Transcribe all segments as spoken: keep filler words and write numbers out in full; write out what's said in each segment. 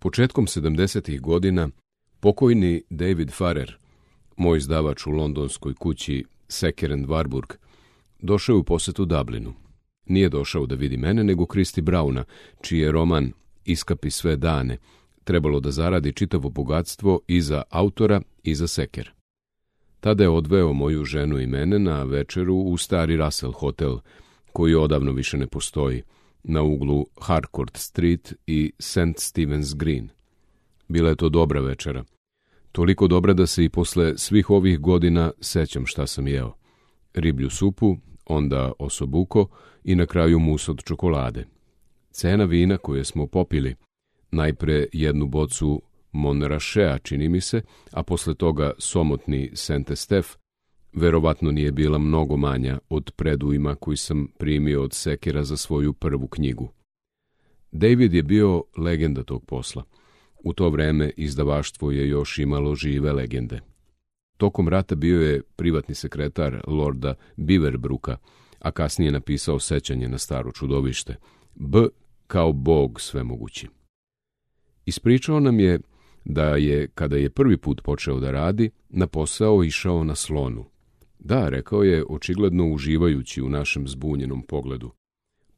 Početkom sedamdesetih godina pokojni David Farrer, moj izdavač u londonskoj kući Sacker and Warburg, došao je u posetu Dublinu. Nije došao da vidi mene, nego Kristi Brauna, čiji je roman Iskapi sve dane trebalo da zaradi čitavo bogatstvo i za autora i za Sacker. Tada je odveo moju ženu i mene na večeru u stari Russell hotel, koji odavno više ne postoji, na uglu Harcourt Street i Saint Stephen's Green. Bila je to dobra večera. Toliko dobra da se i posle svih ovih godina sećam šta sam jeo. Riblju supu, onda osobuko i na kraju mus od čokolade. Cena vina koje smo popili, najpre jednu bocu Monrachea, čini mi se, a posle toga somotni Saint-Estef, verovatno nije bila mnogo manja od predujma koji sam primio od Sackera za svoju prvu knjigu. David je bio legenda tog posla. U to vreme izdavaštvo je još imalo žive legende. Tokom rata bio je privatni sekretar lorda Beaverbrooka, a kasnije napisao sećanje na staro čudovište. B kao Bog svemogući. Ispričao nam je da je, kada je prvi put počeo da radi, na posao išao na slonu. Da, rekao je, očigledno uživajući u našem zbunjenom pogledu.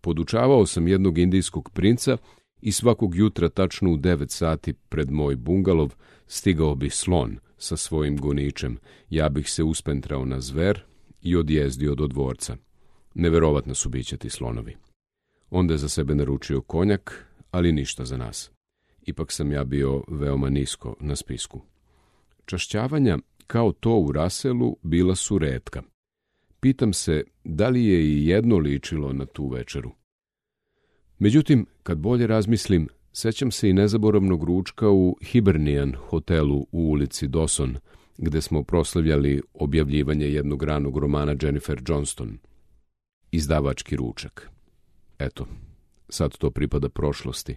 Podučavao sam jednog indijskog princa i svakog jutra tačno u devet sati pred moj bungalov stigao bi slon sa svojim goničem. Ja bih se uspentrao na zver i odjezdio do dvorca. Neverovatno su bića ti slonovi. Onda je za sebe naručio konjak, ali ništa za nas. Ipak sam ja bio veoma nisko na spisku. Čašćavanja, kao to u Russellu, bila su retka. Pitam se da li je i jedno ličilo na tu večeru. Međutim, kad bolje razmislim, sećam se i nezaboravnog ručka u Hibernian hotelu u ulici Dawson, gde smo proslavljali objavljivanje jednog ranog romana Jennifer Johnston. Izdavački ručak. Eto, sad to pripada prošlosti,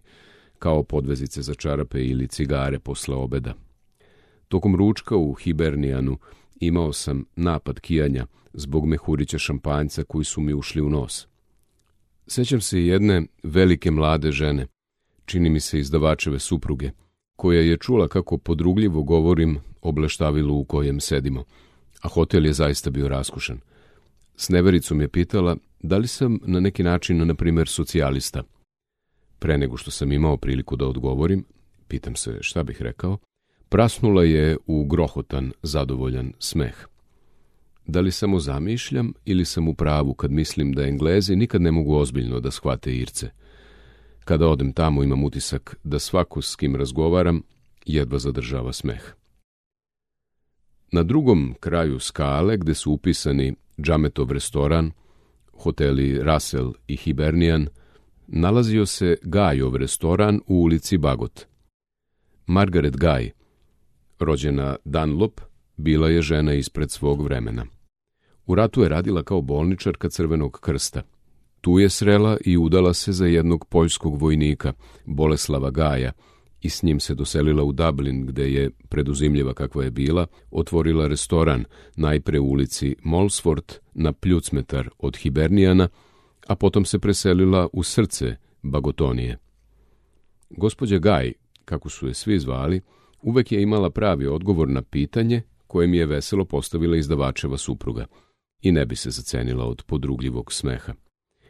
kao podvezice za čarape ili cigare posle obeda. Tokom ručka u Hibernianu imao sam napad kijanja zbog mehurića šampanjca koji su mi ušli u nos. Sećam se jedne velike mlade žene, čini mi se izdavačeve supruge, koja je čula kako podrugljivo govorim o bleštavilu u kojem sedimo, a hotel je zaista bio raskošan. S nevericom je pitala da li sam na neki način, na primjer, socijalista. Pre nego što sam imao priliku da odgovorim, pitam se šta bih rekao, prasnula je u grohotan, zadovoljan smeh. Da li samo zamišljam ili sam u pravu kad mislim da Englezi nikad ne mogu ozbiljno da shvate Irce? Kada odem tamo imam utisak da svako s kim razgovaram jedva zadržava smeh. Na drugom kraju skale, gde su upisani Džametov restoran, hoteli Russell i Hibernian, nalazio se Gajov restoran u ulici Bagot. Margaret Guy, rođena Dunlop, bila je žena ispred svog vremena. U ratu je radila kao bolničarka Crvenog krsta. Tu je srela i udala se za jednog poljskog vojnika, Boleslava Gaja, i s njim se doselila u Dublin, gde je, preduzimljiva kakva je bila, otvorila restoran, najpre u ulici Molsford, na pljucmetar od Hiberniana, a potom se preselila u srce Bagotonije. Gospođa Gaj, kako su je svi zvali, uvek je imala pravi odgovor na pitanje koje mi je veselo postavila izdavačeva supruga i ne bi se zacenila od podrugljivog smeha.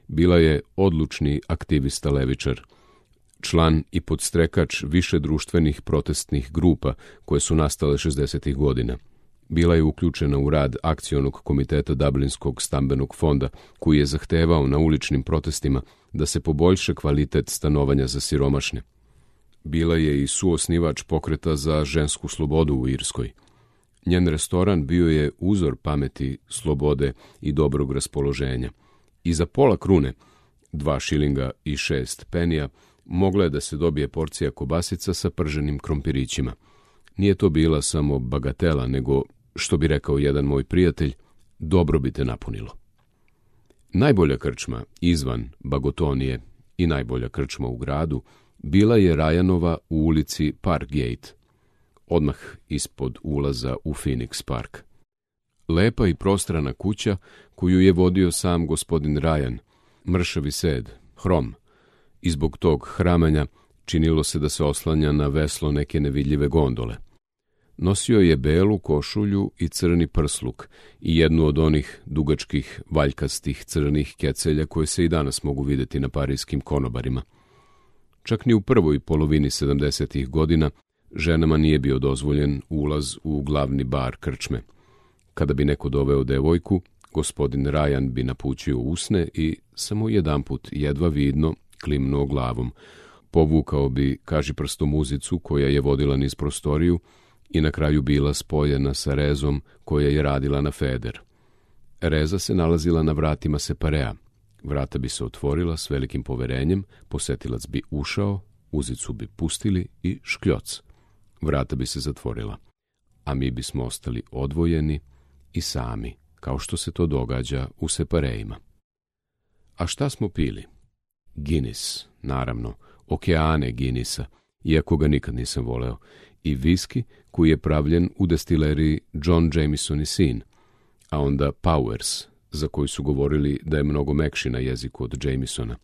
Bila je odlučni aktivista levičar, član i podstrekač više društvenih protestnih grupa koje su nastale šezdesetih godina. Bila je uključena u rad akcionog komiteta Dublinskog stambenog fonda, koji je zahtevao na uličnim protestima da se poboljša kvalitet stanovanja za siromašne. Bila je i suosnivač pokreta za žensku slobodu u Irskoj. Njen restoran bio je uzor pameti, slobode i dobrog raspoloženja. I za pola krune, dva šilinga i šest penija, mogla je da se dobije porcija kobasica sa prženim krompirićima. Nije to bila samo bagatela, nego, što bi rekao jedan moj prijatelj, dobro bi te napunilo. Najbolja krčma izvan Bagotonije i najbolja krčma u gradu bila je Rajanova u ulici Parkgate, odmah ispod ulaza u Phoenix Park. Lepa i prostrana kuća koju je vodio sam gospodin Rajan, mršavi sed, hrom, i zbog tog hramanja Činilo se da se oslanja na veslo neke nevidljive gondole. Nosio je belu košulju i crni prsluk i jednu od onih dugačkih, valjkastih crnih kecelja koje se i danas mogu vidjeti na parijskim konobarima. Čak ni u prvoj polovini sedamdesetih godina ženama nije bio dozvoljen ulaz u glavni bar krčme. Kada bi neko doveo devojku, gospodin Rajan bi napućio usne i samo jedanput jedva vidno klimnuo glavom. Povukao bi kažiprstom muzicu koja je vodila niz prostoriju i na kraju bila spojena sa rezom koja je radila na feder. Reza se nalazila na vratima separea. Vrata bi se otvorila s velikim poverenjem, posetilac bi ušao, uzicu bi pustili i škljoc. Vrata bi se zatvorila, a mi bismo ostali odvojeni i sami, kao što se to događa u separeima. A šta smo pili? Guinness, naravno, okeane Guinnessa, iako ga nikad nisam voleo, i viski koji je pravljen u destileriji John Jameson i sin, a onda Powers, za koji su govorili da je mnogo mekši na jeziku od Jamesona,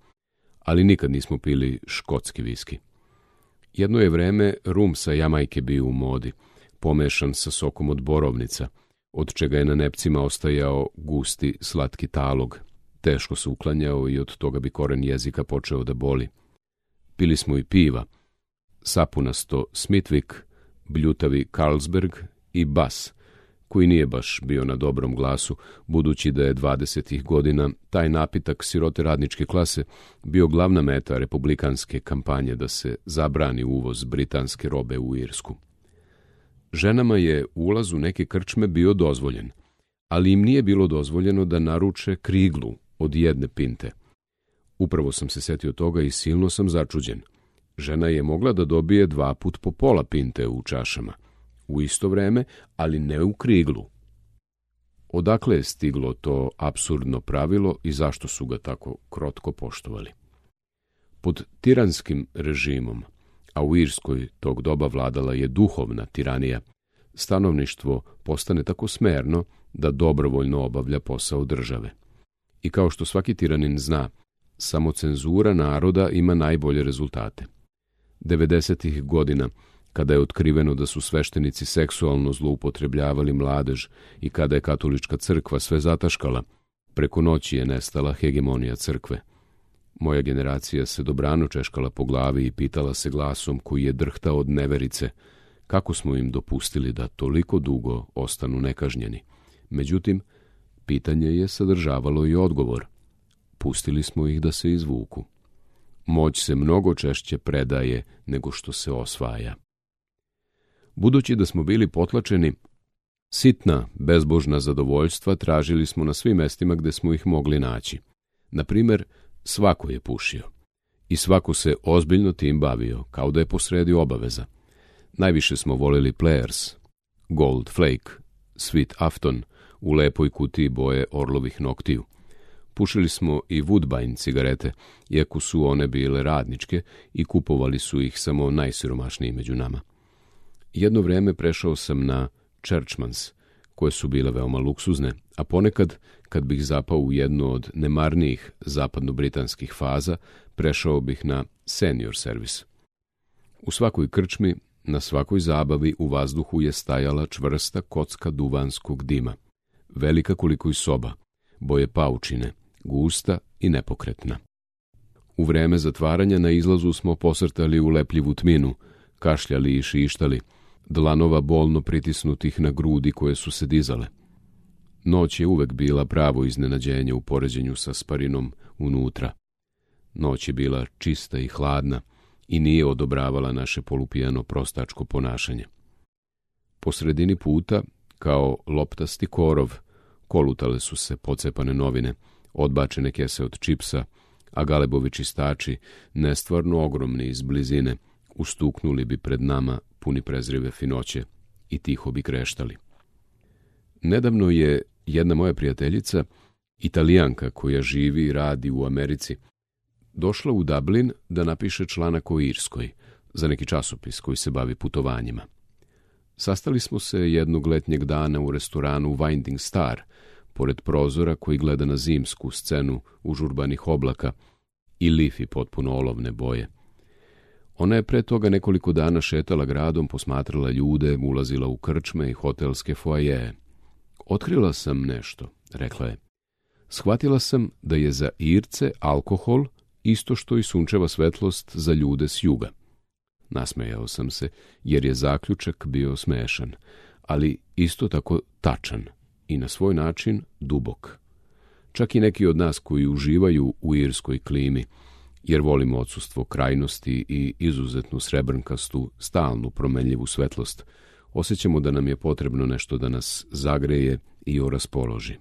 ali nikad nismo pili škotski viski. Jedno je vreme rum sa Jamajke bio u modi, pomešan sa sokom od borovnica, od čega je na nepcima ostajao gusti, slatki talog. Teško se uklanjao i od toga bi koren jezika počeo da boli. Pili smo i piva, sapunasto Smithwick, bljutavi Carlsberg i Bass, koji nije baš bio na dobrom glasu, budući da je dvadesetih godina taj napitak sirote radničke klase bio glavna meta republikanske kampanje da se zabrani uvoz britanske robe u Irsku. Ženama je ulaz u neke krčme bio dozvoljen, ali im nije bilo dozvoljeno da naruče kriglu od jedne pinte. Upravo sam se setio toga i silno sam začuđen. Žena je mogla da dobije dva put po pola pinte u čašama, u isto vreme, ali ne u kriglu. Odakle je stiglo to apsurdno pravilo i zašto su ga tako krotko poštovali? Pod tiranskim režimom, a u Irskoj tog doba vladala je duhovna tiranija, stanovništvo postane tako smerno da dobrovoljno obavlja posao države. I kao što svaki tiranin zna, samo cenzura naroda ima najbolje rezultate. devedesetih godina, kada je otkriveno da su sveštenici seksualno zloupotrebljavali mladež i kada je katolička crkva sve zataškala, preko noći je nestala hegemonija crkve. Moja generacija se dobrano češkala po glavi i pitala se glasom koji je drhtao od neverice kako smo im dopustili da toliko dugo ostanu nekažnjeni. Međutim, pitanje je sadržavalo i odgovor. Pustili smo ih da se izvuku. Moć se mnogo češće predaje nego što se osvaja. Budući da smo bili potlačeni, sitna, bezbožna zadovoljstva tražili smo na svim mestima gde smo ih mogli naći. Na primer, svako je pušio. I svako se ozbiljno tim bavio, kao da je posredi obaveza. Najviše smo voleli Players, Gold Flake, Sweet Afton, u lepoj kutiji boje orlovih noktiju. Pušili smo i Woodbine cigarete, iako su one bile radničke i kupovali su ih samo najsiromašniji među nama. Jedno vreme prešao sam na Churchmans, koje su bile veoma luksuzne, a ponekad, kad bih zapao u jednu od nemarnijih zapadno-britanskih faza, prešao bih na Senior Service. U svakoj krčmi, na svakoj zabavi u vazduhu je stajala čvrsta kocka duvanskog dima, velika koliko i soba, boje paučine, gusta i nepokretna. U vreme zatvaranja na izlazu smo posrtali u lepljivu tminu, kašljali i šištali, dlanova bolno pritisnutih na grudi koje su se dizale. Noć je uvek bila pravo iznenađenje u poređenju sa sparinom unutra. Noć je bila čista i hladna i nije odobravala naše polupijano prostačko ponašanje. Po sredini puta, kao loptasti korov, kolutale su se pocepane novine, odbačene kese od čipsa, a galebovi čistači, nestvarno ogromni iz blizine, ustuknuli bi pred nama puni prezrive finoće i tiho bi kreštali. Nedavno je jedna moja prijateljica, Italijanka koja živi i radi u Americi, došla u Dublin da napiše članak o Irskoj za neki časopis koji se bavi putovanjima. Sastali smo se jednog letnjeg dana u restoranu Winding Star, pored prozora koji gleda na zimsku scenu užurbanih oblaka i lifi potpuno olovne boje. Ona je pre toga nekoliko dana šetala gradom, posmatrala ljude, ulazila u krčme i hotelske foajeje. Otkrila sam nešto, rekla je. Shvatila sam da je za Irce alkohol isto što i sunčeva svetlost za ljude s juga. Nasmejao sam se, jer je zaključak bio smešan, ali isto tako tačan i na svoj način dubok. Čak i neki od nas koji uživaju u irskoj klimi, jer volimo odsustvo krajnosti i izuzetnu srebrnkastu, stalnu promenljivu svetlost, osjećamo da nam je potrebno nešto da nas zagreje i oraspoloži.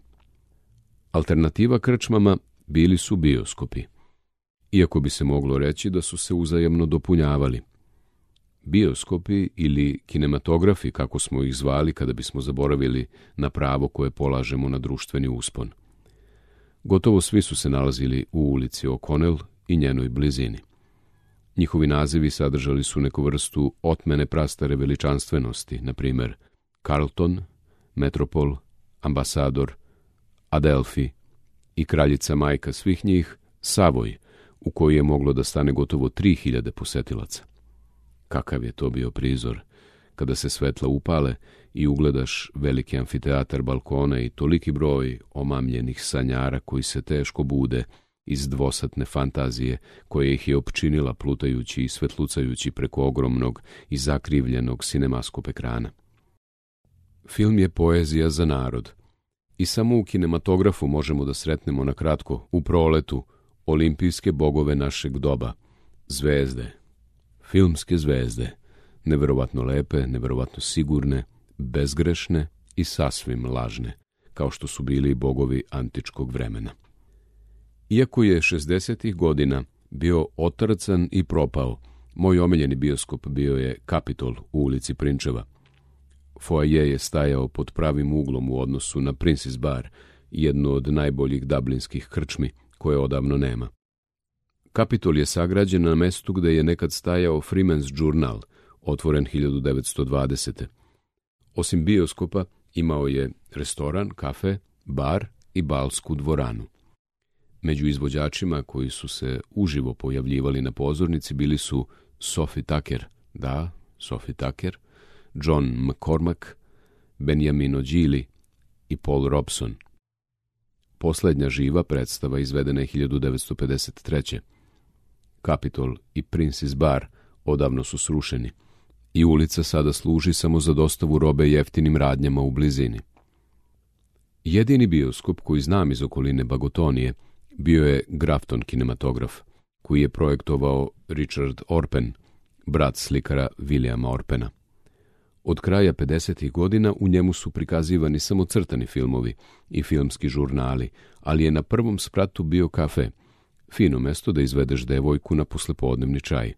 Alternativa krčmama bili su bioskopi, iako bi se moglo reći da su se uzajamno dopunjavali. Bioskopi ili kinematografi, kako smo ih zvali kada bismo zaboravili na pravo koje polažemo na društveni uspon. Gotovo svi su se nalazili u ulici O'Connell i njenoj blizini. Njihovi nazivi sadržali su neku vrstu otmene prastare veličanstvenosti, na primjer Carlton, Metropol, Ambasador, Adelphi i kraljica majka svih njih, Savoy, u kojoj je moglo da stane gotovo tri hiljade posetilaca. Kakav je to bio prizor, kada se svetla upale i ugledaš veliki amfiteatar balkona i toliki broj omamljenih sanjara koji se teško bude iz dvosatne fantazije koja ih je opčinila plutajući i svetlucajući preko ogromnog i zakrivljenog sinemaskop ekrana. Film je poezija za narod i samo u kinematografu možemo da sretnemo na kratko, u proletu, olimpijske bogove našeg doba, zvezde, filmske zvezde, neverovatno lepe, neverovatno sigurne, bezgrešne i sasvim lažne, kao što su bili i bogovi antičkog vremena. Iako je šezdesetih godina bio otrcan i propao, moj omiljeni bioskop bio je Capitol u ulici Prinčeva. Foaje je stajao pod pravim uglom u odnosu na Prince's Bar, jednu od najboljih dublinskih krčmi koje odavno nema. Capitol je sagrađen na mestu gde je nekad stajao Freeman's Journal, otvoren hiljadu devetsto dvadesete. Osim bioskopa, imao je restoran, kafe, bar i balsku dvoranu. Među izvođačima koji su se uživo pojavljivali na pozornici bili su Sophie Tucker, da, Sophie Tucker, John McCormack, Beniamino Gili i Paul Robeson. Poslednja živa predstava izvedena je hiljadu devetsto pedeset treće. Capitol i Prince's Bar odavno su srušeni i ulica sada služi samo za dostavu robe jeftinim radnjama u blizini. Jedini bioskop koji znam iz okoline Bagotonije bio je Grafton kinematograf, koji je projektovao Richard Orpen, brat slikara Williama Orpena. Od kraja pedesetih godina u njemu su prikazivani samo crtani filmovi i filmski žurnali, ali je na prvom spratu bio kafe, fino mesto da izvedeš devojku na poslepodnevni čaj.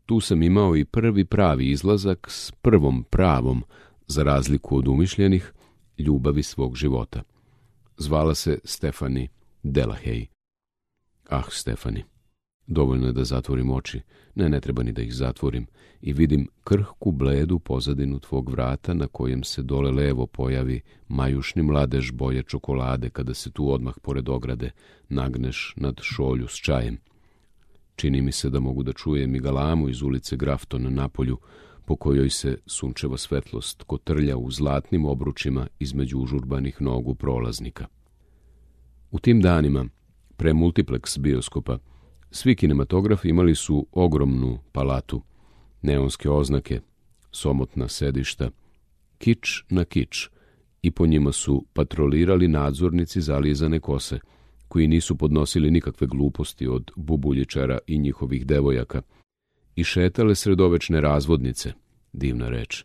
Tu sam imao i prvi pravi izlazak s prvom pravom, za razliku od umišljenih, ljubavi svog života. Zvala se Stephanie Delahey. Ah, Stephanie, dovoljno je da zatvorim oči, ne, ne treba ni da ih zatvorim, i vidim krhku bledu pozadinu tvog vrata na kojem se dole levo pojavi majušni mladež boje čokolade kada se tu odmah pored ograde nagneš nad šolju s čajem. Čini mi se da mogu da čujem i galamu iz ulice Grafton napolju, po kojoj se sunčeva svetlost kotrlja u zlatnim obručima između užurbanih nogu prolaznika. U tim danima, pre multiplex bioskopa, svi kinematografi imali su ogromnu palatu, neonske oznake, somotna sedišta, kič na kič, i po njima su patrolirali nadzornici zalizane kose, koji nisu podnosili nikakve gluposti od bubuljičara i njihovih devojaka, i šetale sredovečne razvodnice, divna reč,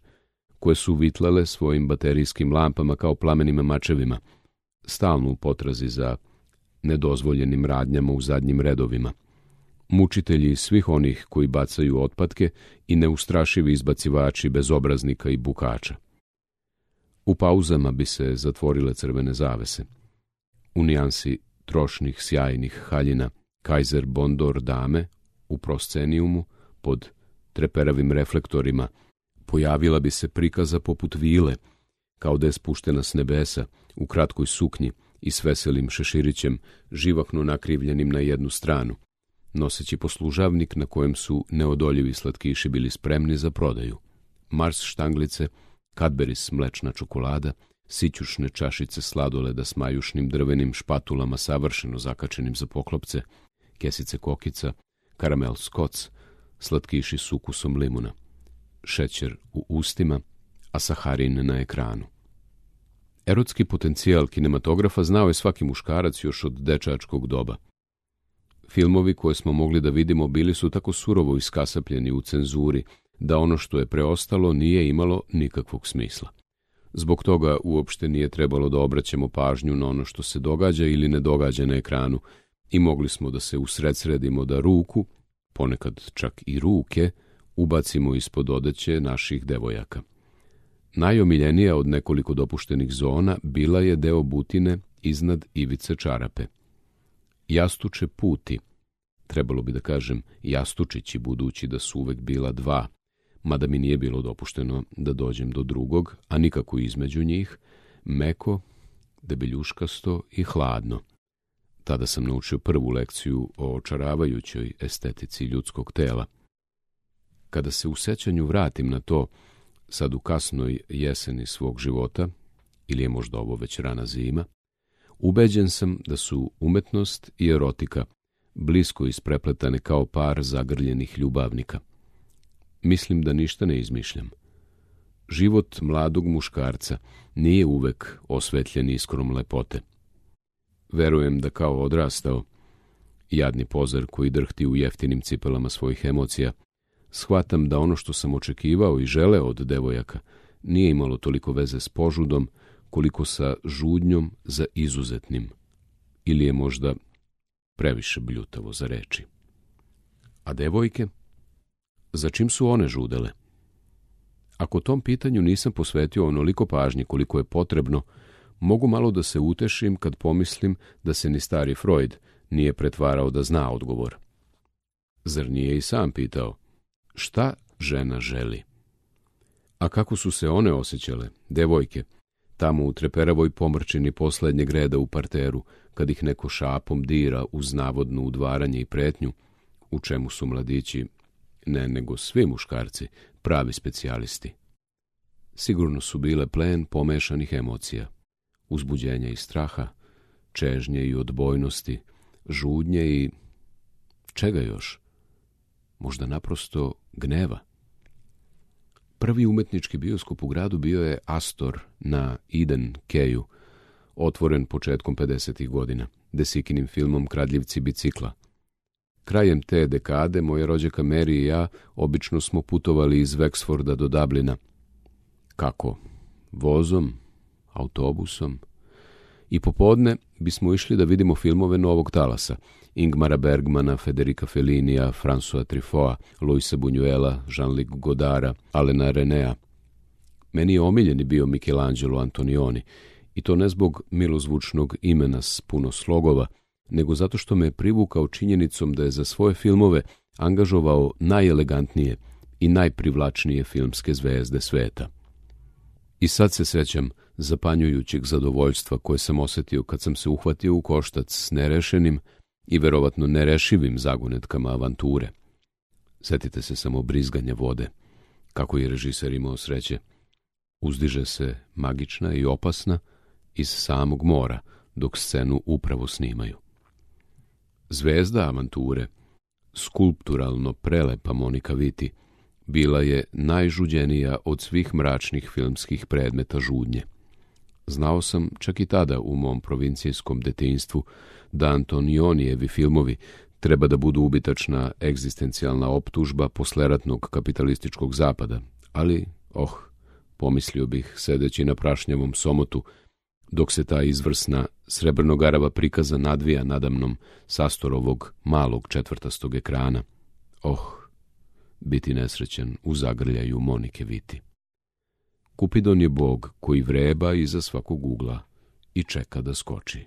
koje su vitlale svojim baterijskim lampama kao plamenim mačevima, stalno u potrazi za nedozvoljenim radnjama u zadnjim redovima. Mučitelji svih onih koji bacaju otpadke i neustrašivi izbacivači bezobraznika i bukača. U pauzama bi se zatvorile crvene zavese. U nijansi trošnih sjajnih haljina Kaiser Bondor dame u proscenijumu pod treperavim reflektorima pojavila bi se prikaza poput vile, kao da je spuštena s nebesa u kratkoj suknji i s veselim šeširićem živahno nakrivljenim na jednu stranu, noseći poslužavnik na kojem su neodoljivi slatkiši bili spremni za prodaju. Mars štanglice, Cadbury's mlečna čokolada, sićušne čašice sladoleda s majušnim drvenim špatulama savršeno zakačenim za poklopce, kesice kokica, karamel skoc, slatkiši s ukusom limuna, šećer u ustima, a saharin na ekranu. Erotski potencijal kinematografa znao je svaki muškarac još od dečačkog doba. Filmovi koje smo mogli da vidimo bili su tako surovo iskasapljeni u cenzuri da ono što je preostalo nije imalo nikakvog smisla. Zbog toga uopšte nije trebalo da obraćamo pažnju na ono što se događa ili ne događa na ekranu i mogli smo da se usredsredimo da ruku, ponekad čak i ruke, ubacimo ispod odeće naših devojaka. Najomiljenija od nekoliko dopuštenih zona bila je deo butine iznad ivice čarape. Jastuče puti, trebalo bi da kažem jastučići budući da su uvek bila dva, mada mi nije bilo dopušteno da dođem do drugog, a nikako između njih, meko, debeljuškasto i hladno. Tada sam naučio prvu lekciju o očaravajućoj estetici ljudskog tela. Kada se u sećanju vratim na to, sad u kasnoj jeseni svog života, ili je možda ovo već rana zima, ubeđen sam da su umetnost i erotika blisko isprepletane kao par zagrljenih ljubavnika. Mislim da ništa ne izmišljam. Život mladog muškarca nije uvek osvetljen iskrom lepote. Verujem da kao odrastao, jadni pozar koji drhti u jeftinim cipelama svojih emocija, shvatam da ono što sam očekivao i želeo od devojaka nije imalo toliko veze s požudom koliko sa žudnjom za izuzetnim, ili je možda previše bljutavo za reči. A devojke? Za čim su one žudele? Ako tom pitanju nisam posvetio onoliko pažnje koliko je potrebno, mogu malo da se utešim kad pomislim da se ni stari Freud nije pretvarao da zna odgovor. Zar nije i sam pitao, šta žena želi? A kako su se one osjećale, devojke, tamo u treperavoj pomrčini poslednjeg reda u parteru, kad ih neko šapom dira uz navodno udvaranje i pretnju, u čemu su mladići, ne nego svi muškarci, pravi specijalisti. Sigurno su bile plen pomešanih emocija, uzbuđenja i straha, čežnje i odbojnosti, žudnje i čega još? Možda naprosto gneva. Prvi umetnički bioskop u gradu bio je Astor na Eden Keju, otvoren početkom pedesetih godina, Desikinim filmom Kradljivci bicikla. Krajem te dekade moja rođaka Mary i ja obično smo putovali iz Wexforda do Dublina. Kako? Vozom? Autobusom? I popodne bismo išli da vidimo filmove novog talasa, Ingmara Bergmana, Federica Fellinija, François Truffautta, Luisa Buñuela, Jean-Luc Godara, Alena Renea. Meni je omiljeni bio Michelangelo Antonioni, i to ne zbog milozvučnog imena s puno slogova, nego zato što me je privukao činjenicom da je za svoje filmove angažovao najelegantnije i najprivlačnije filmske zvezde sveta. I sad se sećam zapanjujućeg zadovoljstva koje sam osetio kad sam se uhvatio u koštac s nerešenim i verovatno nerešivim zagonetkama avanture. Setite se samo brizganja vode, kako je režiser imao sreće. Uzdiže se magična i opasna iz samog mora, dok scenu upravo snimaju. Zvezda avanture, skulpturalno prelepa Monika Vitti, bila je najžuđenija od svih mračnih filmskih predmeta žudnje. Znao sam čak i tada u mom provincijskom detinjstvu da Antonionijevi filmovi treba da budu ubitačna egzistencijalna optužba posleratnog kapitalističkog zapada, ali, oh, pomislio bih sedeći na prašnjavom somotu, dok se ta izvrsna srebrnogarava prikaza nadvija nadamnom sastorovog malog četvrtastog ekrana. Oh, biti nesrećen u zagrljaju Monike Vitti. Kupidon je bog koji vreba iza svakog ugla i čeka da skoči.